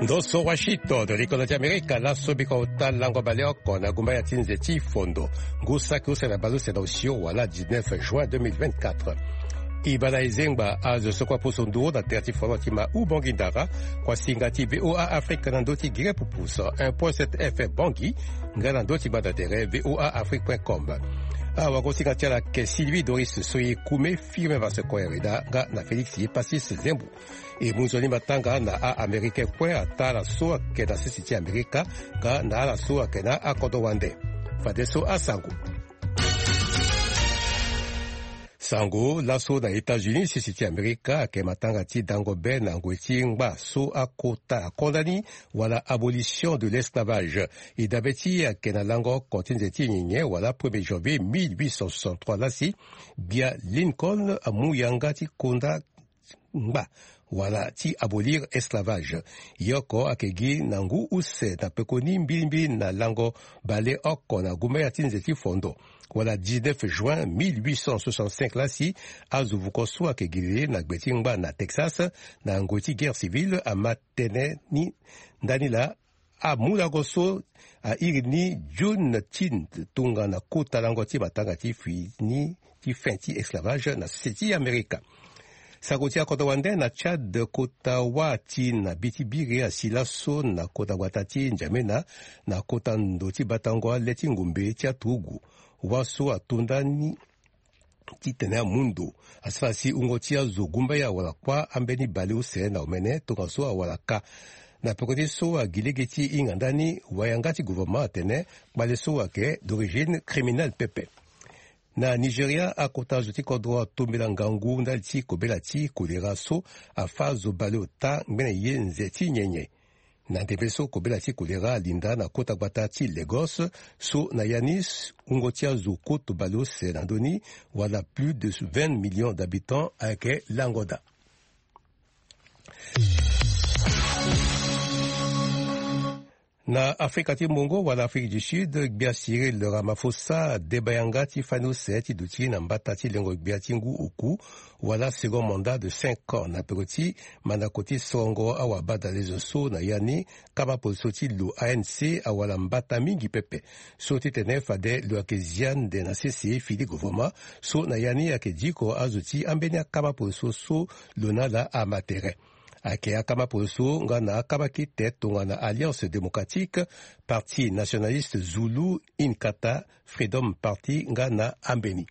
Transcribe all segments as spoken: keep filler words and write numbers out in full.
Ndo so Washington, likolo ti Amerika, laso biko ota lango baleoko na gumbaya ti nze ti fondo. Ngu saki use na baleuse na osio wala dix-neuf juin deux mille vingt-quatre. E baa na e zengba azo so kue apusu nduru na tere ti foro ti ma Ubangui Ndara, kuasinga ti V O A Afrique na ndö ti gere pupus un point sept F M Bangui, nga na ndö ti gbanda tere V O A Afrique point com. Awagosinga ti ala ayeke Sylvie Doris Soye Kume, Firmin Vasco Hereda, nga na Félix Epasis Zembo. E mu nzoni matanga na a-Américain kue ataa ala so ayeke na sese ti Amerika nga na ala so ayeke na akodro wande. Fadeso asango. Sango laso na États-Unis, sese ti Amerika ayeke matanga ti dango be na ngoi ti ngba so akota akondani wala abolition de l'esclavage. E dabe ti e ayeke na lango oko ti nze ti nyenye wala premier janvier mille huit cent soixante-trois lasi, gbia Lincoln amu yanga ti konda ngba wala ti abolir esclavage. Ye oko ayeke gi na ngu use na pekoni mbilimbili na lango baleoko na gumbaya ti nze ti fondo wala dix-neuf juin mille huit cent soixante-cinq lasi, azo vuko so ayeke gi lele na gbe ti ngba na Texas na ngoi ti guerre civile ama tene ni ndani laa amu lango so airi ni June tin tongana kota lango ti matanga ti fini ti fin ti esclavage na sese ti Amerika. Sango ti akodro wande na Tchad, kota wâ ti na bi ti biri asi laso na kota gbata ti N'Djamena, na kota ndo ti batango ale ti ngombe ti aturugu. Wâ so ato ndani titene amu ndo asara si wungo ti azo gumbaya wala kuâ ambeni baleuse na omene tongaso awara kâ. Na peko ti so agi lege ti hinga ndani, wayanga ti gouvernement atene kpale so ayeke d'origine criminelle pepe. Na Nigeria, akota zo ti kodro atombela ngangu ndali ti kobela ti kolera so afâ zo baleota ngbene ye nze ti nyenye. Na ndembe so kobela ti kolera alinda na kota gbata ti Lagos, so na ya ni wungo ti azo koto baleuse na ndö ni, wala plus de vingt millions d'habitants ayeke lango daa. Na Afrika ti Mungo wala Afrique du Sud, gbia Cyril Ramaphosa adeba yanga ti fani use ti duti na mbata ti lengo gbia ti ngu oku, wala second mandat de cinq ans, na peko ti mandako ti sorongo awabadalezo so na ya ni kama poroso ti lo A N C awara mbata mingi pepe. So titene fade lo ayeke zia nde na sese fini gouvernement, so na ya ni ayeke diko azo ti ambeni akama poroso so lo na ala ama tere. Ayeke akama poroso nga na akama kete tongana Alliance Démocratique, Parti Nationaliste Zulu, Inkatha, Freedom Party nga na ambeni.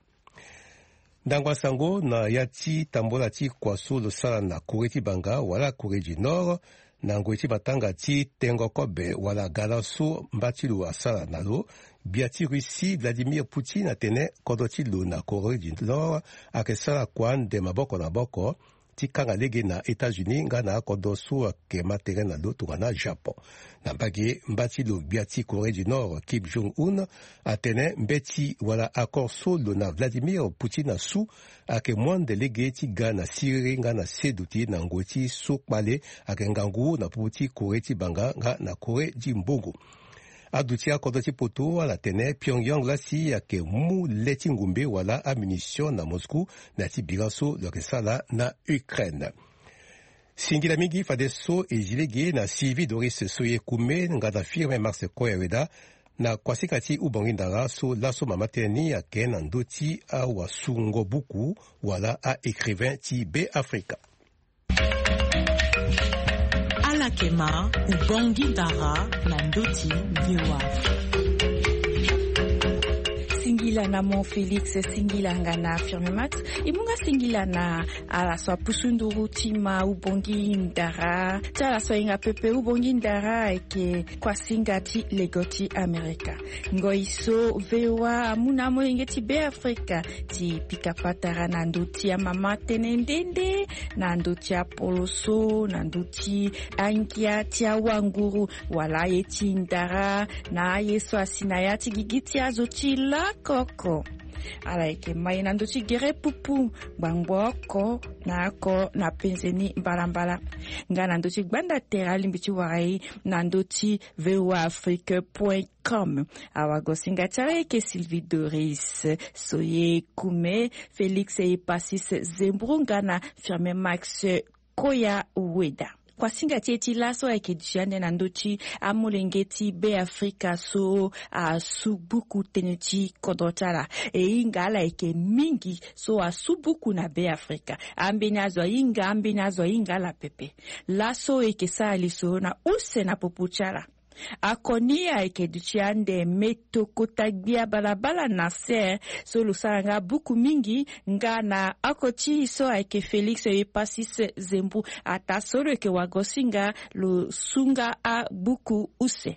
Ndango asango na ya ti tambola ti kua so lo sara na Corée ti banga wala Corée du Nord, na ngoi ti matanga ti tengo kobe wala gala so mba ti lo asara na lo, gbia ti Russie Vladimir Poutine atene kodro ti lo na Corée du Nord ayeke sara kua ande maboko na maboko ti kanga lege na États-Unis nga na akodro so ayeke ma tere na lo tongana Japon. Na mbage, mba ti lo gbia ti Corée du Nord Kim Jong-un atene mbeti wala accord so lo na Vladimir Poutine asu ayeke mu ande lege ti ga na siriri nga na se duti na ngoi ti so kpale ayeke ngangu na popo ti Corée ti banga nga na Corée ti mbongo. Aduti akodro ti poto ala tene Pyongyang lasi ayeke mu le ti ngombe wala amunition na Moscou na ya ti bira so lo yeke sara na Ukraine. Singila mingi fadeso e zi lege na Sylvie Doris Soye Kume nga na Firmin Max Koyaweda na kuasika ti Ubongi Ndara so laso mama tënë ni ayeke na ndö ti awasungo buku wala a-écrivain ti Beafrika. Ala yeke ma Ubongi Ndara na ndö ti V O A. Singila na mo Félix, singila nga na Firmin Max. E mu nga singila na ala so apusu nduru ti ma Ubongi Ndara. Ti ala so ahinga pepe Ubongi Ndara ayeke kuasinga ti lego ti Amerika. Ngoi so V O A amu na amolenge ti Beafrika ti pika patara na ndö ti amama tënë nde nde, na ndö ti apoloso, na ndö ti angia ti awanguru, wala aye ti ndara, na aye so asi na ya ti gigi ti azo ti lakoko. Ala yeke ma e na ndö ti gere pupu, ngbangbo oko na oko na penze ni mbalambala. Nga na ndö ti gbanda tere alingbi ti wara e na ndö ti V O A Afrique point com. Awagosinga ti ala yeke Sylvie Doris Soye Kume, Félix Epasis Zembro nga na Firmin Max Koyaweda. Kuasinga ti e ti laso ayeke duti ande na ndö ti amolenge ti Be Afrika so asu buku tënë ti kodro ti ala. E hinga ala yeke mingi so asu buku na Be Afrika. Ambeni azo ahinga, ambeni azo ahinga ala pepe. Laso e yeke sara lisoro na use na popo ti ala. Akoni ayeke duti ande Me tokota gbia balabala na ser so lo sara nga buku mingi nga na oko ti e so ayeke Félix Epasis Zembu. Ataa so lo yeke wagosinga lo su nga abuku use.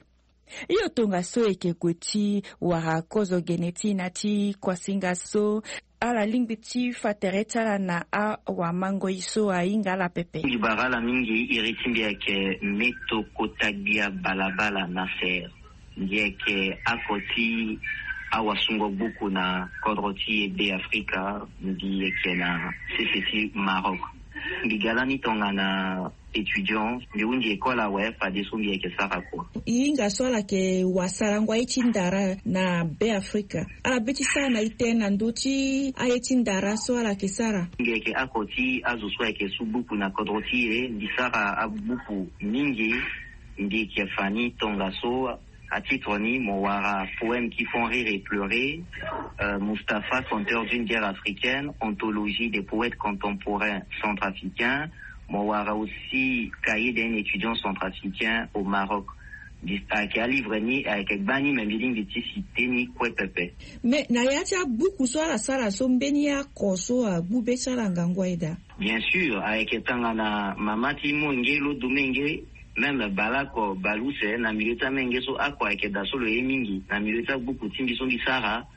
Hio tongaso e yeke gue ti wara kozo gene ti e na ti kuasinga so. Ala lingbi ti fa tere ti ala na awamangoi so ahinga ala pepe. Mbi bara ala mingi iri ti mbi ayeke Me tokota gbia balabala na ser. Mbi yeke oko ti awasungo gbuku na kodro ti e Be Afrika. Mbi yeke na sese ti Maroc. Mbi ga lani tongana étudiant, mbi hunzi école awe, fadeso mbi yeke sara kua. E hinga so ala yeke wasarango aye ti ndara na Be Afrika. Ala be ti sara na e tënë na ndö ti aye ti ndara so ala yeke sara. Mbi yeke oko ti azo so ayeke su buku na kodro ti e. Mbi sara abuku mingi. Mbi yeke fa ni tongaso. Atitre ni mo wara Poèmes qui font rire et pleurer, euh, Mustapha, conteur d'une guerre africaine, anthologie des poètes contemporains centrafricains. Mo wara aussi Cahier d'un étudiant centrafricain au Maroc. Ayeke alivre ni ayeke gbani, me mbi lingbi ti citer ni kue pepe. Mais na ya ti abuku so ala sara so, mbeni oko so agbu be ti ala ngangu aye daa? Bien sûr, ayeke tongana mama ti molenge lo domenge, même baleoko baleuse, na milieu ti amolenge so oko ayeke daa so lo ye mingi. Na milieu ti abuku ti mbi so mbi sara,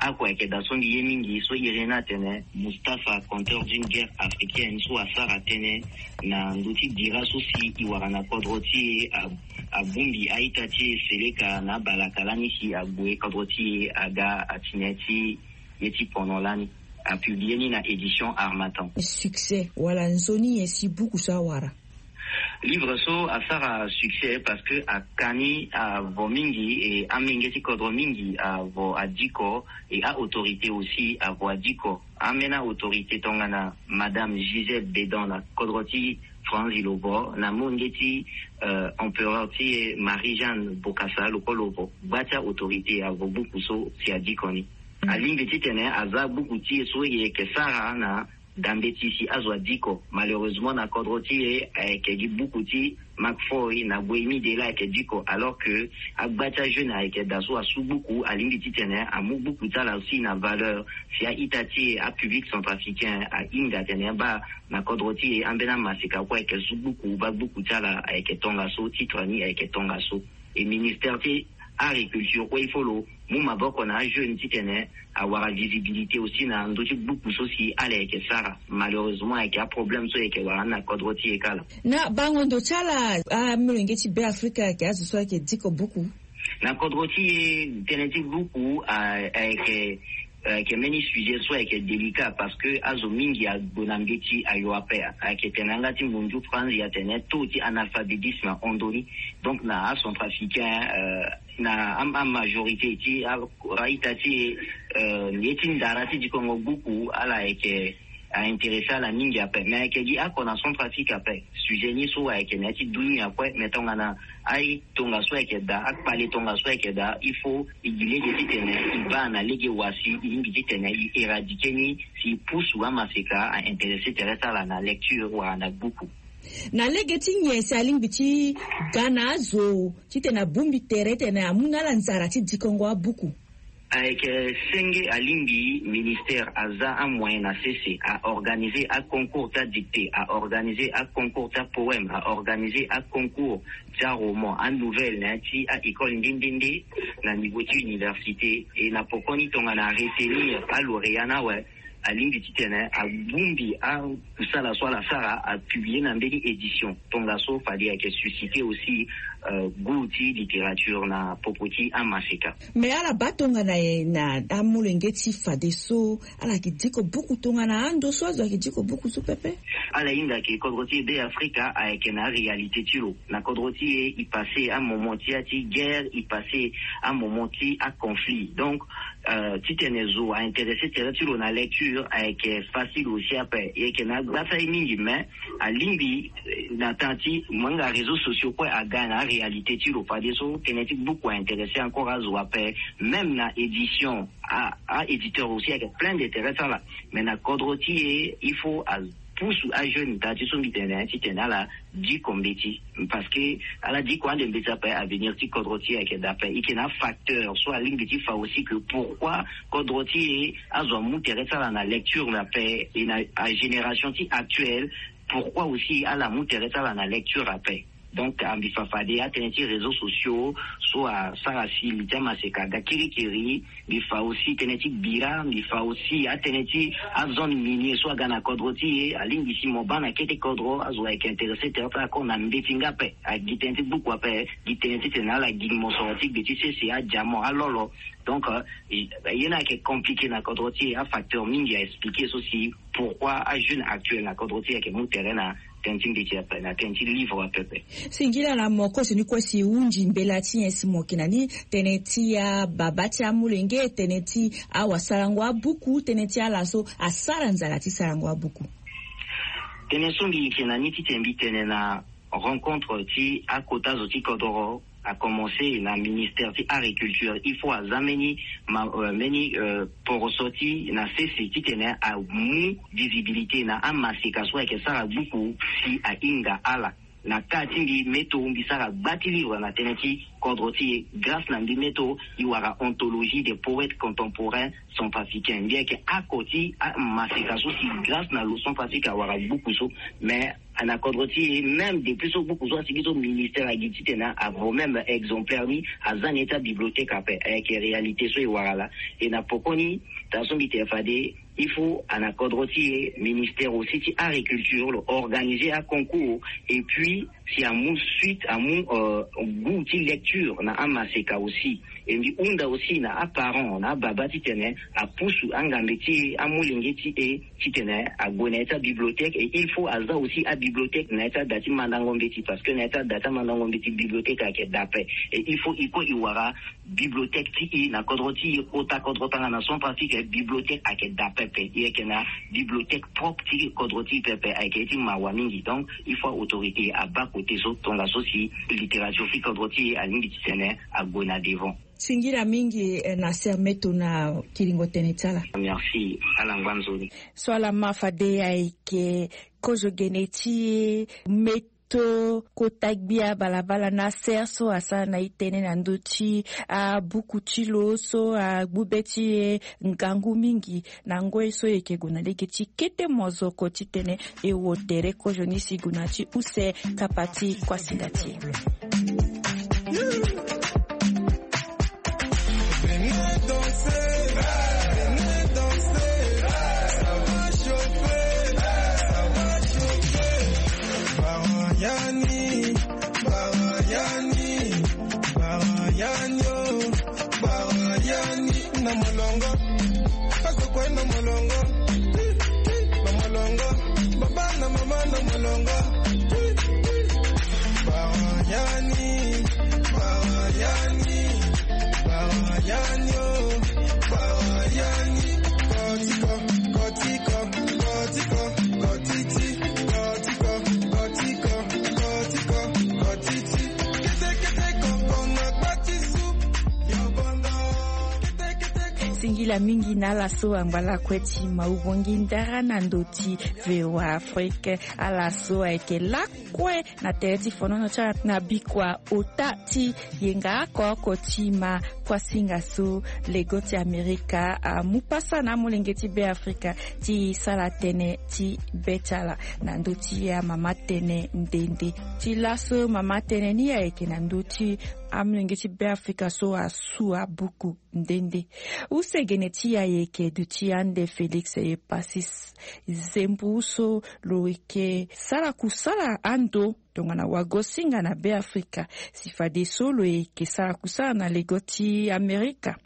oko ayeke daa so mbi ye mingi so iri ni atene Mustapha, conteur d'une guerre africaine, so asara tënë na ndö ti bira so si e wara na kodro ti e, a- abongbi a-ita ti e seleka na abalaka lani si ague kodro ti e aga atene ti ye ti pono lani. Apublie ni na édition Harmattan. Succès wala nzoni nyen si buku so awara? Livre so asara succès parce que aka ni avo mingi, e amolenge ti kodro mingi avo adiko, e a-autorité aussi avo adiko. Ambeni autorité tongana Madame Gisèle Bédon na kodro ti Franzi lo vo, na molenge ti, euh, empereur ti e Marie-Jeanne Bokassa lo kue lo vo. Gba ti autorité avo buku so si adiko ni. Alingbi titene aza buku ti e so e yeke sara na dambe ti si azo adiko. Malheureusement na kodro ti e ayeke gi buku ti Marc Foy na Boémie Dela ayeke diko, alors que agba ti ajeune ayeke daa so asu buku, alingbi titene amu buku ti ala aussi na valeur. Si a-ita ti e, apublic centrafricain ahinga atene baa na kodro ti e ambeni amaseka kue ayeke su buku, baa buku ti ala ayeke tongaso, titre ni ayeke tongaso. E ministère ti agriculture kue il faut lo mu maboko na ajeune titene awara visibilité aussi na ndö ti buku so si ala yeke sara. Malheureusement ayeke aproblème so e yeke wara ni na kodro ti e kala. Na bango ndo ti ala, amolenge ti Be Afrika ayeke azo so ayeke diko buku? Na kodro ti e tënë ti buku a- ayeke, ayeke mbeni sujet so ayeke délicat parce que azo mingi agbo na mbeti ayo ape. Ayeke tene na yanga ti mundu Franzi atene taux ti analphabétisme ahon ndoni. Donc na acentrafricain, euh, na a- amajorité ti a- a-ita ti e, euh, ye ti ndara ti dikongo buku ala ayeke aintéressé ala mingi ape. Mais ayeke gi oko na Centrafrique ape. Sujet ni so ayeke na ya ti dunia kue, mais tongana aye tongaso ayeke daa, akpale tongaso ayeke daa, il faut e gi lege titene e baa na lege wa si e lingbi titene e éradiquer ni, si e pusu amaseka aintéressé tere ti ala na lecture wala na buku. Na lege ti nyen si alingbi ti ga na azo titene abongbi tere titene amu na ala nzara ti dikongo abuku? Ayeke senge alingbi ministère aza amoyen na sese, a organiser aconcours ti adictée, a organiser aconcours ti apoème, a organiser aconcours ti aroman, anouvelle na ya ti a-école nde nde nde na niveau ti université. E na pokoni tongana aretenir alauréat ni awe, alingbi titene abongbi akusala so ala sara, apublie na mbeni édition. Tongaso fade ayeke susciter aussi, euh, goût ti littérature na popo ti amaseka. Mais ala baa tongana nyen na amolenge ti fadeso, ala yeke diko buku tongana ando so azo ayeke diko buku so pepe? Ala hinga ke kodro ti e Be Afrika ayeke na aréalité ti lo. Na kodro ti e, e passé amoment ti ya ti guerre, e passé amoment ti aconflit. Donc Titene zo a intéressé tere ti lo na lecture ayeke facile aussi ape. Yeke na gbasa ye mingi mais alingbi na temps ti mo hinga réseaux sociaux kue aga na aréalité ti lo fadeso tënë ti buku a intéressé encore azo ape. Même na édition a éditeur aussi ayeke plein d'intérêt ti ala. Mais na kodro ti e il faut a pusu ajeune daa ti so mbi tene titene ala diko mbeti. Parce que ala diko ande mbeti ape avenir ti kodro ti e ayeke daa ape. E yeke na afacteur so alingbi ti fa aussi que pourquoi kodro ti e azo amu tere ti ala na lecture na ape e na agénération ti actuelle pourquoi aussi ala mu tere ti ala na lecture ape. Donc mbi fa fade atënë ti réseaux sociaux so asara si li ti amaseka aga kirikiri. Mbi fa aussi tënë ti bira mbi fa aussi atënë ti azone minier so aga na kodro ti e alingbi si mo baa na kete kodro azo ayeke intéressé tere ti ala kor na mbeti nga ape. Agi tënë ti buku ape gi tënë titene ala gi mosoro ti gbe ti sese adiamant alolo. Donc ye ni ayeke compliqué na kodro ti e afacteur mingi a expliqué so si pourquoi ajeune actuel na kodro ti e ayeke mu tere na tënë ti mbeti ape na tënë ti livre apepe. Singila na mo koso ni kue si hunzi mbela ti nyen si mo yeke na ni tënë ti ababa ti amolenge tënë ti awasarango abuku tënë ti ala so asara nzala ti sarango abuku. Tënë so mbi yeke na ni titene mbi tene na rencontre ti akota zo ti kodoro a commencé na ministère ti agriculture il faut aza mbeni mbeni poroso ti na sese titene amu visibilité na amaseka so ayeke sara buku si ahinga ala. Na ka ti mbi meto mbi sara gba ti livre na tënë ti kodro ti e grâce na mbi meto e wara anthologie des poètes contemporains centrafricains mbi yeke ako ti amaseka so si grâce na lo centrafrique awara buku so. Mais na kodro ti e même depuis so buku so asigi so ministère agi titene avo même exemplaire ni aza na ye ti abibliothèque ape ayeke réalité so e wara laa. E na pokoni taa so mbi tene fade il faut ana kodro ti e ministère aussi ti agriculture lo organiser aconcours et puis si amu suite amu goût ti lecture na amaseka aussi. E mbi hunda aussi na aparent na ababa titene apusu angambe ti e amolenge ti e titene ague na ya ti abibliothèque et il faut aza aussi abibliothèque na ya ti ada ti mandango mbeti parce que na ya ti ada ti amandango mbeti bibliothèque ayeke dape. Et il faut e kue e wara bibliothèque ti e na kodro ti e kota kodro tanga na centrafrique bibliothèque ayeke dape pe e yeke na bibliothèque propre ti kodro ti e pepe ayeke ye ti mawa mingi. Donc il faut autorité abaa kote so tongaso si littérature ti kodro ti e alingbi titene ague na devant. Singila mingi na sermeto na kiringo tënë ti ala. Merci ala ngba nzoni. So ala ma fade ayeke kozo gene ti e meto kota gbia balabala na ser so asara na e tënë na ndö ti abuku ti lo so agbu be ti e ngangu mingi. Na ngoi so e yeke gue na lege ti kete mozoko titene e wo tere kozo ni si gue na ti use kapa ti kuasinda ti e. Singila mingi na ala so angba lakue ti maubongi ndara na ndö ti voa afrique. Ala so ayeke lakue na tere ti fonono ti ala na bikua ota ti yenga oko oko ti ma kuasinga so lego ti amerika amu pasa na amolenge ti be afrika ti sala tënë ti be ti ala na ndö ti amama tënë nde nde. Ti laso mama tënë ni ayeke na ndö ti amolenge ti be afrika so asu abuku nde nde. Use gene ti e ayeke duti ande félix e pasi. Zembu so lo yeke sara kusala ando tongana wagosinga na be afrika si fadeso lo yeke sara kusala na lego ti amerika.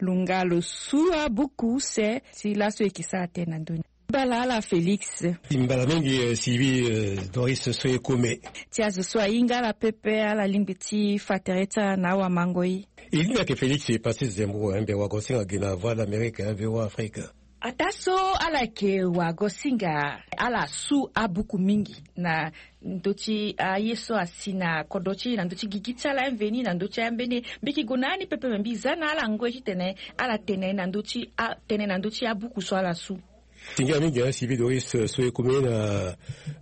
Lo nga lo su abuku use si laso e yeke sara tënë na ndö ni. Mbala ala Félix. Mbala mingi, eh, Sylvie, eh, Doris so e kome. Ti azo so ahinga ala pepe, ala lingbi ti fa tere ti ala na awamangoi. E lingbi ayeke Félix Patrice Zembro, eh, mbi wagosinga gi na Voix d'Amérique, eh, V O A Afrique. Ataa so ala yeke wagosinga, ala su abuku mingi na ndö ti aye so asi na kodro ti e, na ndö ti gigi ti ala, mveni na ndö ti ambeni. Mbi yeke gue na ani pepe, me mbi za na ala ngoi titene ala tene na ndö ti a, tene na ndö ti abuku so ala su. Tingia mingi, eh, Sylvie Doris, eh, so e kome na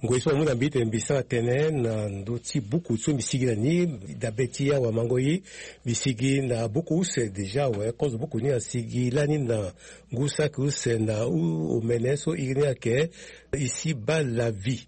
ngoi so amu na mbi tene mbi sara tënë na ndö ti buku so mbi sigi na ni. Dabe ti awamangoi, mbi sigi na buku use déjà awe. Kozo buku ni asigi lani na ngu saki use na u-, omene so iri ni ayeke Ici-bas la vie.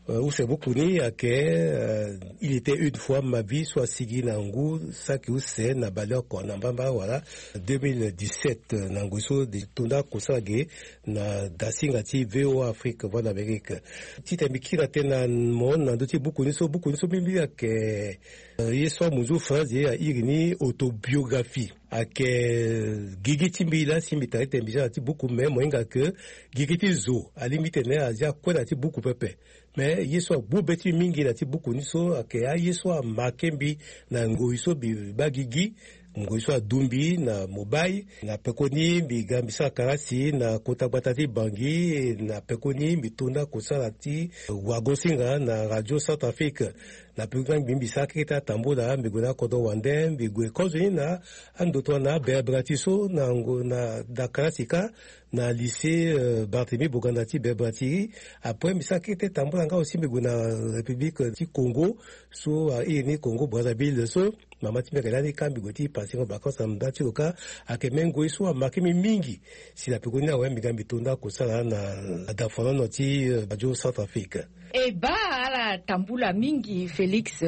Eh, use buku ni ayeke, eh, Il était une fois ma vie, so asigi na ngu saki use na baleoko na mbamba wala deux mille dix-sept, eh, na ngoi so de tonda kosala ge na dasinga ti V O A Afrique, Voix d'Amérique. Titene mbi kiri na tënë na mo na ndö ti buku ni so, buku ni so mbi, mbi ayeke, eh, ye so amunzu France ye airi ni autobiographie. Ayeke gigi ti mbi laa si mbi tara titene mbi za na ti buku, me mo hinga ke gigi ti zo alingbi titene azia kue na ti buku pepe. Me ye so agbu be ti mbi mingi na ti buku ni so ayeke aye so amarke mbi na ngoi so mbi baa gigi, ngoi so adu mbi na mobile. Na pekoni mbi ga mbi sara karasi na kota gbata ti Bangui, na pekoni mbi tonda kosala ti wagosinga na Radio Centrafrique. Na pekoni mbi, mbi sara keke ti atambula, mbi gue na kodro wande, mbi gue kozo ni na andoto na Berberati so na ngo, na, na karasi kâ, na lycée, euh, Barthélemy Boganda ti Berberati. Après mbi sara kete tambula nga aussi mbi gue na République ti Congo, so, ah, iri ni Congo Brazzaville so. Mama ti mbi ayeke lani kâ mbi gue ti passer ngo vacances na nda ti lo kâ. Ayeke même ngoi so amarke mbi mingi. Si na pekoni awe mbi ga mbi tonda kosala na, na dafonono ti, euh, Radio Centrafrique. E baa ala tambula mingi, Félix.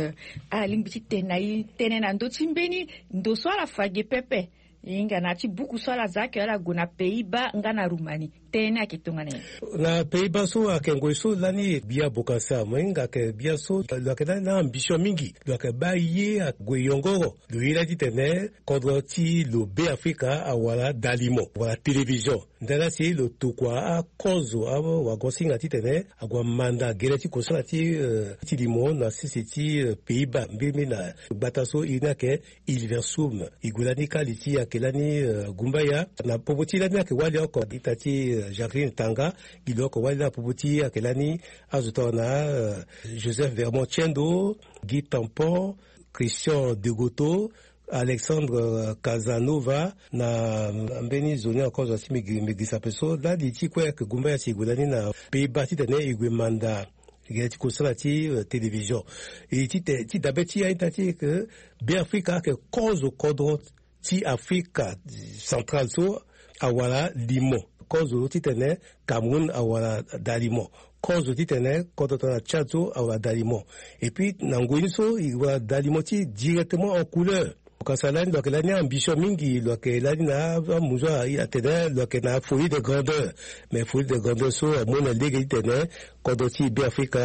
Ala lingbi ti tene na e tënë na ndö ti mbeni ndo so ala fa ge pepe. E hinga na ya ti buku so ala za ake ala gue na Pays-Bas nga na Roumanie. Tënë ni ayeke tongana nyen? Na Pays-Bas so ayeke ngoi so lani Biya Bokassa, mo hinga ayeke Biya so lo yeke lani na ambition mingi. Lo yeke baa ye ague yongoro. Lo ye lani titene kodro ti lo Beafrika awara dalimo wala télévision. Ndala si lo tokua akozo awagosinga titene ague amanda gere ti kosala ti, eh, ti limo na sese ti, eh, Pays-Bas, mbirimbiri na gbata so iri ni ayeke Hilversum. E gue lani kâ li ti ayeke lani, eh, Gumbaya. Na popo ti lani ayeke wali oko ita ti, eh, Jacqueline Tanga. Gi lo oko wali na popo ti ayeke lani azo tongana, eh, Joseph Vermont Tiendo, Guy Tampon, Christian Degoto, Alexandre Casanova, na mbeni zo ni encore zo si mbi gi-, mbi girisa ape so. Lani ti kue ayeke Gumbaya si e gue lani na Pays-Bas titene e gue manda gere ti kosala ti, eh, télévision. E ti te, ti dabe ti aita ti ke Beafrika ayeke kozo kodro ti Afrika Centrale so awara limo. Kozo titene Cameroun awara dalimo. Kozo titene kodro tongana Tchad so awara dalimo. Et puis na ngoi ni so e wara dalimo ti directement en couleur. Bokassa lani lo yeke lani ambition mingi, lo yeke lani na amunzu atene lo yeke na folie de grandeur. Mais folie de grandeur so amu na lege titene kodro ti Beafrika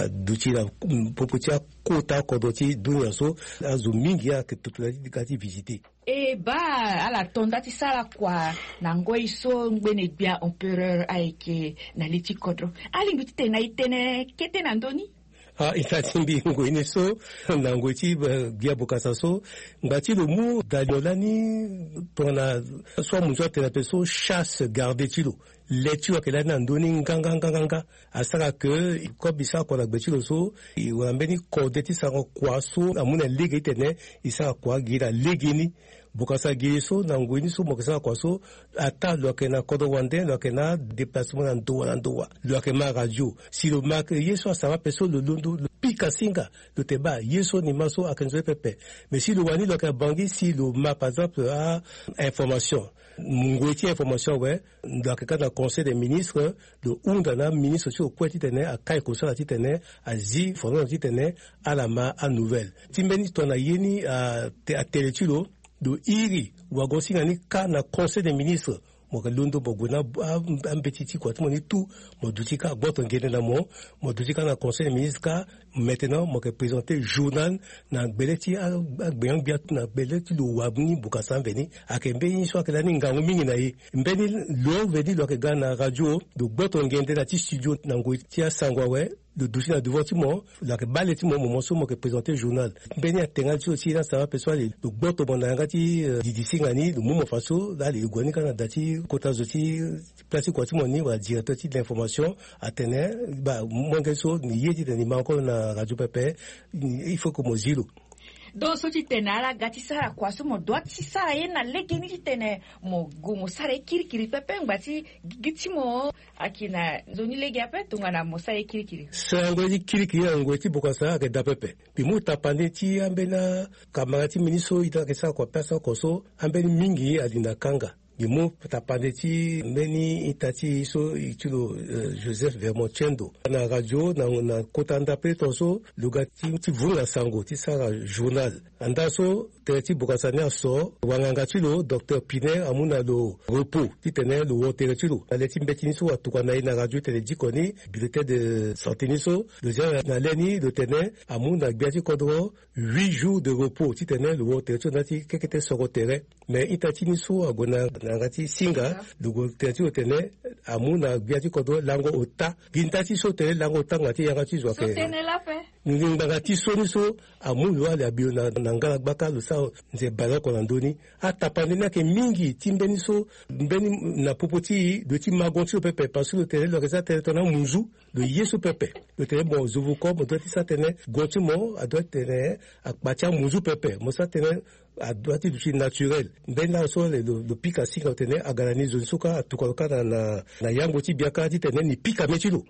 aduti na popo ti akota kodro ti dunia so. Azo mingi ayeke toto na ti ga ti visiter. E baa ala to nda ti sara kua na ngoi so ngbene gbia empereur ayeke na li ti kodro. Alingbi titene na e tene kete na ndö ni? Ah, ita ti mbi ngoi ni so, na ngoi ti, eh, Gbia Bokassa so, ngba ti lo mu dalimo lani tongana so amunzu atene ape so chasse gardée ti lo. Le ti lo ayeke lani na ndö ni nganganganga. Asara ke comme e sara kua na gbe ti lo so, e wara mbeni kode ti sarango kua so amu na lege titene e sara kua gi na legeni. Bokassa gi so na ngoi ni so mo yeke sara kua so, ata lo yeke na kodro wande, lo yeke na déplacement na ndo wa na ndo wa, lo yeke ma radio. Si lo ma ke ye so asara ape so, lo londo, lo pika singa, lo te baa ye so ni ma so ayeke nzoni pepe. Mais si lo wani lo yeke na Bangui, si lo ma par exemple a information, ngoi ti information awe, lo yeke kâ na conseil des ministres, lo hunda na aministre ti lo kue titene akai kosala titene azi fonono titene ala ma anouvelle. Ti mbeni tongana ye ni, ah, te-, atele ti lo, lo iri wagosinga ni kâ na conseil des ministres. Mo yeke londo mo gue na a-, a-, ambeti ti kua ti mo ni tout, mo duti kâ gboto ngende na mo, mo duti kâ na conseil des ministres kâ, Maintenant mo yeke présenter journal na gbele ti agbenyo-gbia na gbele ti lo wa ni. Bokasa mveni ayeke mbeni so ayeke lani ngangu mingi na e. Mbeni lo mveni lo yeke ga na radio, lo gboto ngende na ti studio na ngoi ti asango awe, lo duti na devant ti mo, lo yeke bale ti mo, moment so mo yeke présenter journal. Mbeni atengana ti lo ti ye ni asara ape so ale, lo gboto mo na yanga ti didi singa ni, lo mu mo fa so laa ale e gue ni kâ na da ti kota zo ti place ti kua ti mo ni wala directeur ti l'information. Atene ba molenge so ni ye titene ni ma encore na radio pepe. Il faut que mo zi lo. Donc so ti tene ala ga ti sara kua so mo doit ti sara ye na legeni titene mo gue mo sara ye kirikiri pepe ngba ti gigi ti mo ayeke na nzoni lege ape tongana mo sara ye kirikiri. Sarango ye ti kirikiri na ngoi ti bokasa ayeke daa pepe. Mbi mu tapande ti ambeni akamara ti mbi ni so ita ayeke sara kua pe asara kua so ambeni mingi alinda kanga. Mbi mu tapande ti mbeni ita ti e so e ti lo Joseph Vermont Tiendo na radio na kota ndapele tongaso. Lo ga ti vunga sango ti sara journal. Anda so tere ti bokasa ni aso, wanganga ti lo docteur Piner amu na lo repos titene lo wo tere ti lo na le ti mbeti ni so atokua na e na radio titene diko ni bulletin de santé ni so lo zia na le ni lo tene amu na gbia ti kodro huit jours de repos titene lo wo tere ti lo na ya ti kekete soro tere. Me ita ti ni so ague na yanga ti singa lo gue tere ti lo tene amu na gbia ti kodro lango ota. Gi nda ti so tene lango ota ngba ti yanga ti zo ayeke ngbanga ti so ni so amu lo ale abi lo na ngala gbaka lo sara nze baleoko na ndö ni. Atapande ni ayeke mingi ti mbeni so mbeni na popo ti e lo ti mago ti lo pepe parce que lo tene lo yeke za tene tongana amunzu. Lo ye so pepe lo tene mo zo vuko mo doit ti sa tene go ti mo adoit tene akpa ti amunzu pepe mo sa tene adoit ti duti naturel. Mbeni laa so lo pika singa lo tene aga na ni zo ni so kâ atuka lo kâ na yango ti biaka titene ni pika me ti lo.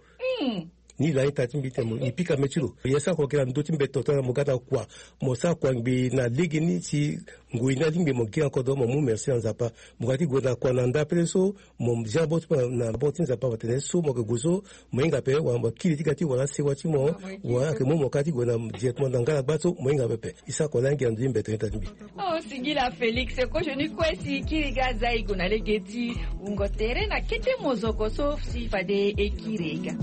Ni laa ita ti mbi tene mo ni pika me ti lo. Ye sara kua gi na ndö ti mbeti tongaso na mo ga na kua mo sara kua ngbii na legeni si ngoi ni alingbi mo gi na kodro mo mu merci na Nzapa. Mo ga ti gue na kua na ndapele so mo zia bot na bot ti Nzapa mo tene so mo yeke gue so mo hinga ape wala mo kiri ti ga ti wala asewa ti mo wala ayeke mu mo kâ ti gue na directement na ngala gba so mo hinga pepe. E sara kua laa ngia na ndö ti mbeti ita ti mbi. Oh, singila Félix, kozo ni kue si kiri ga aza e gue na lege ti wungo tere na kete mozoko so si fade e kiri e ga.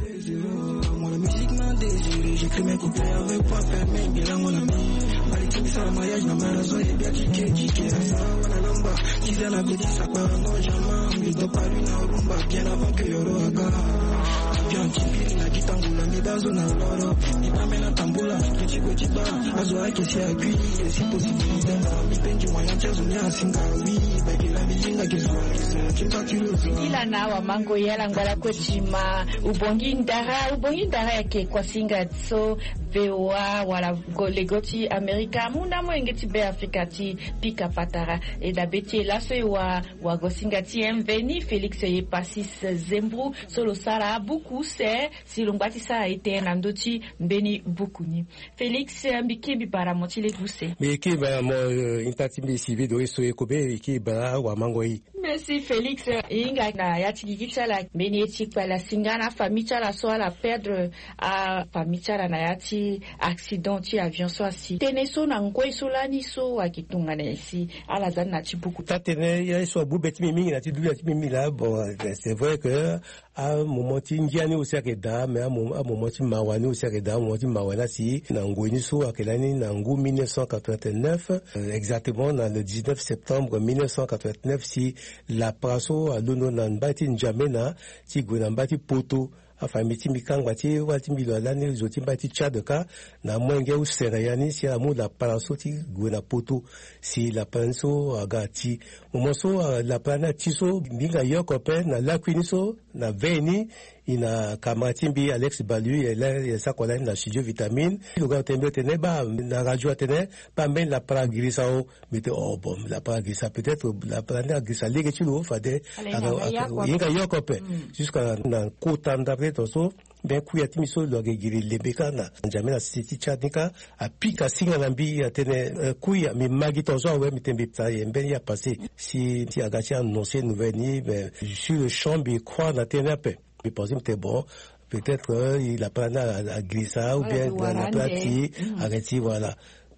Singila na awamango ye ala ngba lakue ti ma. Ubongi ndara, ubongi ndara ayeke kuasinga so VOA wala lego ti Amerika amu na molenge ti Be Afrika ti pika patara. E dabe ti e laso e wa wagosinga ti e mveni Félix Epasis Zembro so lo sara buku use si lo ngba ti sara ete na ndö ti mbeni buku ni. Félix, mbi kiri mbi bara mo ti lege use. Mbi kiri bara mo, ita ti mbi Sylvie Doris so e kobe e kiri bara awamango e. Merci Félix. E hinga na ya ti gigi ti ala mbeni ye ti kpale asinga na afamille ti ala so ala perdre afamille ti ala na ya ti accident ti avion so asi. Tënë so na ngoi so lani so ayeke tongana nyen si ala za ni na ti buku? Taa-tënë ye so abu be ti mbi mingi na ti dunia ti mbi mingi laa. Bon, c'est vrai que amoment ti ngia ni aussi ayeke daa, mais amoment ti mawa ni aussi ayeke daa. Amoment ti mawa ni asi na ngoi ni so ayeke lani na ngu mille neuf cent quatre-vingt-neuf, exactement na le dix-neuf septembre mille neuf cent quatre-vingt-neuf si lapara so alondo na mbai ti N'Djamena ti gue na mbai ti Poto. Afamille ti mbi kâ ngba ti wali ti mbi lo alani zo ti mbai ti Tchad kâ na molenge use na ya ni si amu lapara so ti gue na Poto. Si lapara ni so aga ati. Moment so lapara ni ati so mbi hinga yoko ape na lakui ni so na veille ni. E na kamara ti mbi Alex Balu ye la ye sara kua lani na studio Vitamine. Lo ga lo tene mbi lo tene baa na radio atene baa mbeni lapara agirisa o. Mbi tene oh bon lapara agirisa peut-être lapara ni agirisa lege ti lo fade. Hinga yoko ape. Jusqu'à na kota ndapele tongaso. Mbi kuya ti mbi so lo ayeke giri lembe kâ na N'Djamena ti Tchad ni kâ. Apika singa na mbi atene kuya mbi ma gi tongaso awe mbi tene mbi tara ye mbeni ye apase. Si aga ti annoncer nouvelle ni mais sur le champ mbi croire na tënë ni ape. Mbi pense mbi tene bon peut-être lapara ni agirisa ou bien lapara ti arrêti voilà.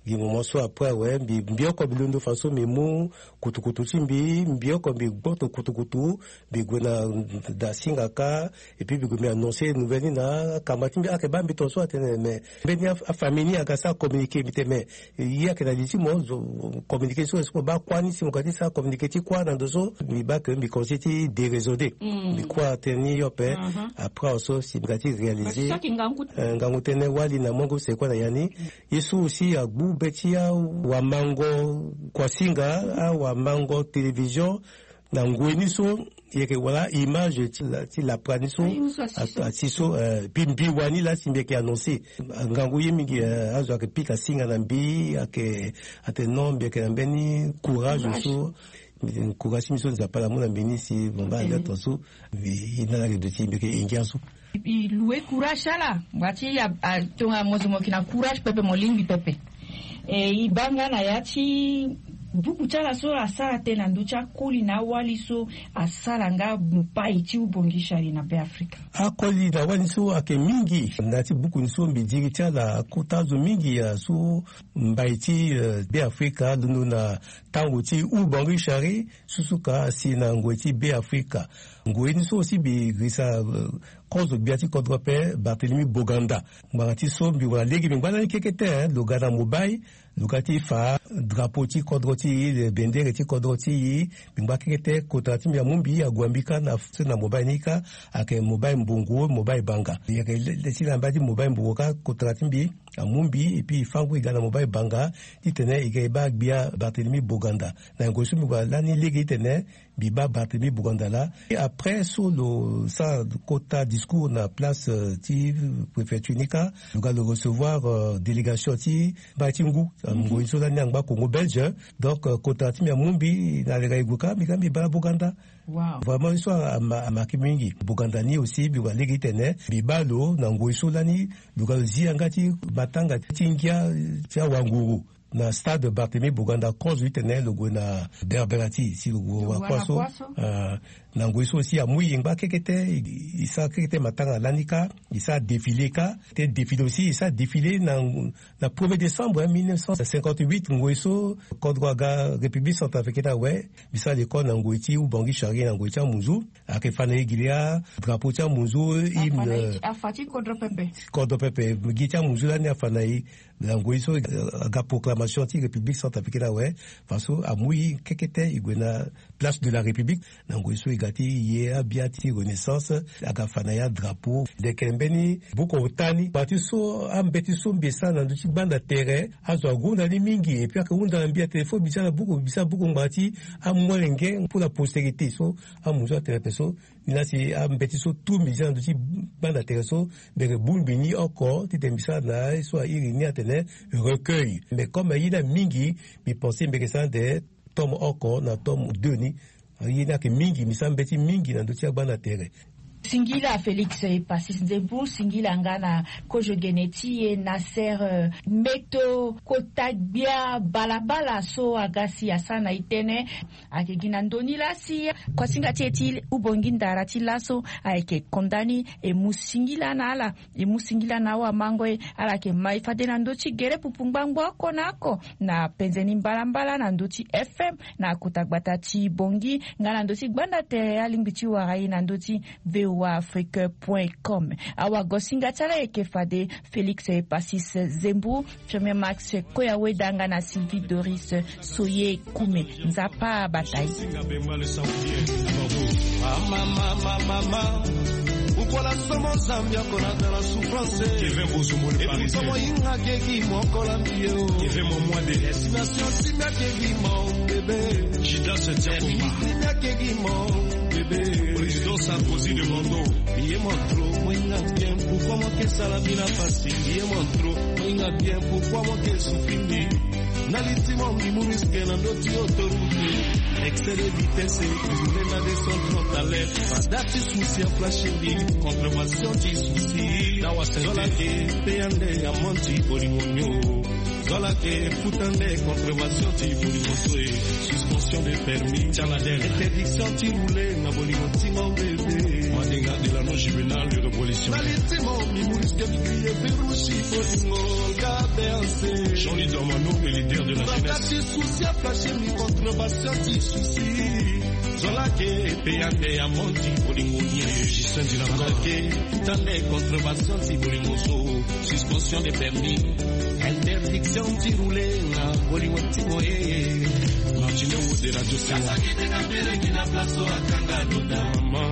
Gi moment so après awe mbi mbi oko mbi londo façon mbi mu kutukutu ti mbi mbi oko mbi gboto kutukutu. Mbi gue na da singa kâ. Et puis mbi gue mbi annoncer nouvelle ni na akamba ti mbi ayeke baa mbi tongaso atene mais mbeni afamille ni aga sara communiquer mbi tene mais ye ayeke na li ti mo. Communiquer so mo baa kuâ ni si mo ga ti sara communiquer ti kuâ na ndo so mbi baa ke mbi conseil ti déraisonner. Mbi kuâ tënë ni yo ape. Après awe so si mbi ga ti réaliser ngangu tënë wali na mongo seko na ya ni. Ye so aussi agbu be ti awamango kuasinga awamango télévision na ngoi ni so. Yeke wala image ti lapra ni so asi so. Pi mbi wani laa si mbi yeke annoncer ngangu ye mingi. Azo ayeke pika singa na mbi ayeke ate non mbi yeke na mbeni courage so. Courage ti mbi so nzapa ala mu na mbi ni si mo baa alia tongaso. Mbi ye na ala yeke duti mbi yeke ingia so. Mbi loue courage ti ala. Ngbanga ti ya tonga mo zo mo yeke na courage pepe mo lingbi pepe. E e baa nga na ya ti buku ti ala so asara tënë na ndö ti akoli na awali so asara nga mopai ti ubongi shari na be afrika. Akoli na awali so ayeke mingi na ya ti buku ni so mbi diri ti ala akota azo mingi ya so mbai ti be afrika alondo na tango ti ubongi shari. Susu ka asi na ngoi ti be afrika. Ngoi ni so aussi mbi risa kozo gbia ti kodro ape barthélemy boganda. Ngbanga ti so mbi wara lege mbi ngba lani kekete lo ga na mobai. Lo ga ti fa drapeau ti kodro ti e le bendere ti kodro ti e. Mbi ngba kekete kota ti mbi amu mbi ague mbi kâ na mobile ni kâ. Ayeke mobile mbongo mobile banga yeke le ti na mbai ti mobile mbongo kâ kota ti mbi amu mbi epui e fa ngu e ga na mobile banga. Titene e ga e baa gbia barthélemy boganda. Na ngoi so mbi gue lani lege titene mbi baa barthélemy boganda laa. Après so lo sara kota discours na place ti préfecture ni kâ. Lo ga lo recevoir délégation ti mbai ti ngu ngoi so lani angba congo belge. Donc kota ti mbi amu mbi na leka e gue kâ mbi ga mbi baa boganda. Vraiment ye so amarke mingi boganda ni aussi mbi gue lege titene mbi baa lo na ngoi so lani. Lo ga lo zi yanga ti matanga ti ngia ti awanguru na stade barthélemy boganda kozo titene lo gue na berbera ti si lo gue wakua so. Na ngoi so aussi amu e ngba kekete. E sara kekete matanga lani kâ. E sara défilé kâ te défilé aussi e sara défilé na na premier décembre mille neuf cent cinquante-huit ngoi so kodro aga république centrafricaine awe. Mbi sara l'école na ngoi ti ubangi charrier na ngoi ti amunzu. Ayeke fa na e gi laa drapeau ti amunzu hymne. Kodro pepe gi ti amunzu lani afa na e. Na ngoi so aga proclamation ti république centrafricaine awe. Façon amu e kekete e gue na place de la république. Na ngoi so e ga ti ye abia ti renaissance aga fa na ya drapeau. Leke mbeni buku ota ni ma ti so ambeti so mbi e sara na ndö ti gbanda tere. Azo ahunda ni mingi epui ayeke hunda na mbi atene fo mbi sara buku mbi sara buku ngbanga ti amolenge pour la postérité so. Amu so atene ape so ni laa si ambeti so tout mbi sara na ndö ti gbanda tere so. Mbi yeke bongbi ni oko titene mbi sara na aye so airi ni atene recueil mais comme aye ni amingi mbi pense mbi yeke sara ande tome oko na tome deux ni. Aye ni ayeke mingi mbi sara mbeti mingi na ndö ti agbanda tere. Singila félix epasis nzembu singila nga na kozo gene ti e na sere mbeto kota gbia balabala so aga si asara na e tënë. Ayeke gi na ndö ni laa si kuasinga ti e ti ubongi ndara ti laso ayeke konda ni e mu singila na ala. E mu singila na awamango e ala yeke ma e fade na ndö ti gere pupu ngbangbo oko na oko na penze ni mbalambala na ndö ti fm na kota gbata ti bongi nga na ndö ti gbanda tere alingbi ti wara e na ndö ti voa afrique point com. Awagosinga ti ala yeke fade félix epasis zembu, firmé max koya weda nga na sylvie doris soye kume. Nzapa abata e. Ukola somo zambi akola dans la souffrance. Epuis somo yinga keki mokola mbiye o. Estimation simia keki mo bebe. Judas tiakoma. Simia keki mo bebe. Président Sarkozy de Mondo. Ye mon trop moinga bien pourquoi mo ke sala mbi na pasi? Ye mon trop moinga bien pourquoi mo ke souffrir mbi? Na litimo mbi mu risque na ndö ti autoroute. Excès de vitesse, mbi na descend trop à l'air. Fada ti souci a flash mbi. Contravention ti souci. Zola ke payande amende ti bolingo nio. Zola ke futa nde contravention ti bolingo so e. Suspension de permis ti ala dere. Interdiction ti rouler na bolingo ti mo bebe. Madinga de la non juvénile. Pollution. Nalitimo mi muriske mi kriye virusi bolingo. Jean-Louis Dormano, le leader de la jeunesse. Souci aplace mi contre basio ti souci. Zolake pe ande amonti bolingo nie. Justin Dilakor. Zolake tande contre basio ti bolingo so. Suspension de permis. Interdiction ti rouler na bolingo ti moye. Martino Wood de Radio Sewa. Maman.